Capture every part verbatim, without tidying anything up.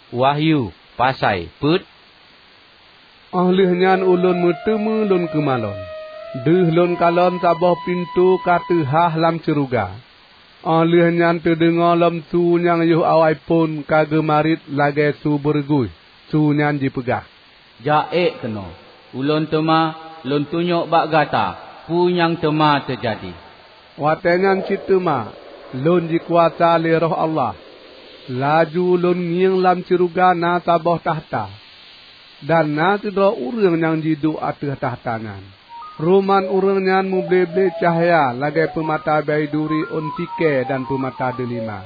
Wahyu, pasai peuet. Óh lheueh nyan ulôn meuteumé lôn keumalon. Deuh lôn kalon saboh pintoe ka teuhah lam syeuruga. Óh lheueh nyan teudeungoe lom su nyang yoh awai phon ka geumarit lagée su beureuguih. Su nyan jipeugah, "Jak ék keunoe, ulôn teuma lôn tunyok bak gata peue nyang teuma teujadi." Watée nyan cit teuma lôn jikuasa lé Roh Allah. Laju lôn ngieng lam syeuruga na saboh takhta, dan na sidroe ureuëng nyang jiduek ateueh takhta nyan. Ruman ureuëng nyan muble-ble cahya lagée peumata baiduri ôn sikée dan peumata deulima.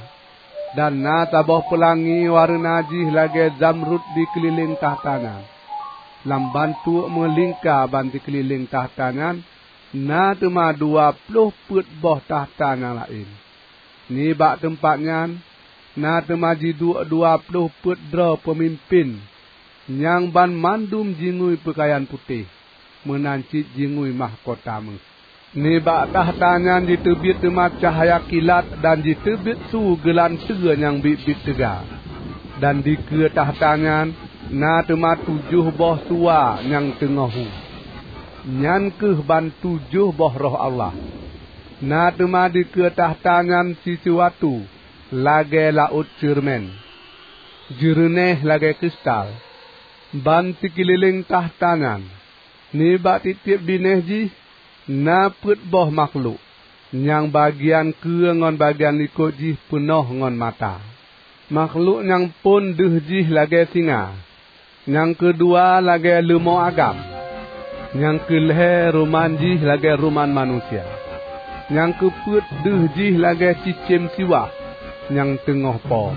Dan na saboh peulangi wareuna jih lagée zamrud dikeulileng takhta nyan. Lam bantuek meulingka ban sikeulileng takhta nyan na teuma dua ploh peuet boh takhta nyang laén. Nibak teumpat nyan na teuma jiduek dua ploh peuet droe peumimpén nyang banmandum jingui peukayan putéh, meunan cit jingui mahkota méuh. Nibak takhta nyan jiteubiet teuma cahya kilat dan jiteubiet su geulanteue nyang biet-biet teuga. Dan dikeue takhta nyan na teuma tujoh boh suwa nyang teungoh hu. Nyan kheueh ban tujoh boh Roh Allah. Na teuma dikeue takhta nyan sisuatu lagée laôt ceureumen, jeureunéh lagée kristal. Ban sikeulileng takhta nyan, nibak tieb-tieb binéh jih, na peuet boh makhlok, nyang bagian keue ngon bagian likot jih peunoh ngon mata. Makhlok nyang phon deuh jih lagée singa, nyang keudua lagée leumo agam, nyang keulhée ruman jih lagée ruman manusia, nyang keupeuet deuh jih lagée cicém siwah nyang teungoh po.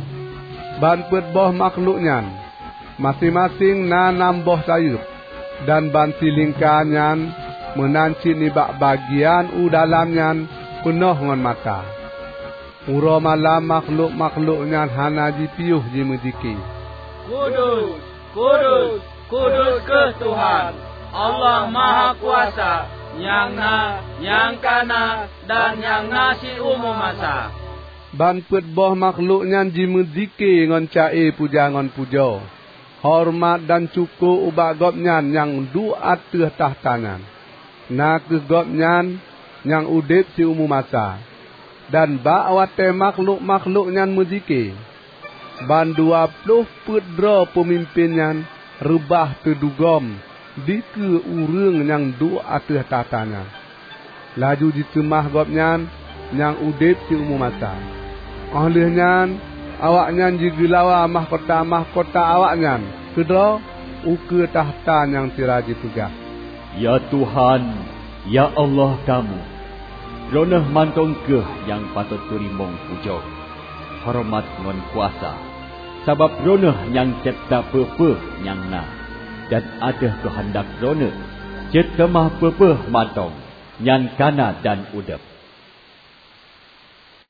Ban peuet boh makhlok nyan maséng-maséng na nam boh sayeuep, dan ban silingka nyan meunan cit nibak bagian u dalam nyan peunoh ngon mata. Uroe malam makhlok-makhlok nyan hana jipiôh jimeuzike, "Kudus, kudus, kudus kheueh Tuhan, Allah Mahakuasa, nyang na, nyang ka na, dan nyang na siumu masa." Ban peuet boh makhlok nyan jimeuzike ngon ca-e puja ngon pujoe, horeumat dan syukoe ubak Gobnyan nyang duek ateueh takhta nyan, na kheueh Gobnyan nyang udeb siumu masa. Dan bak watée makhlok-makhlok nyan meuzike, bandua ploh peuet droe peumimpén nyan reubah teudugom dikeue ureuëng nyang duek ateueh takhta nyan. Laju jiseumah Gobnyan nyang udeb siumu masa. Óh lheueh nyan awaknyan jigeulawa mahkota-mahkota awaknyan keudroe ukeue takhta nyang sira jipeugah, "Ya Tuhan, ya Allah kamoe, Droeneueh mantong kheueh nyang patot teurimong pujoe, horeumat ngon kuasa, sabab Droeneueh nyang cebta peue-peue nyang na, dan ateueh keuhandak Droeneueh cit teuma peue-peue mantong nyang ka na dan udeb."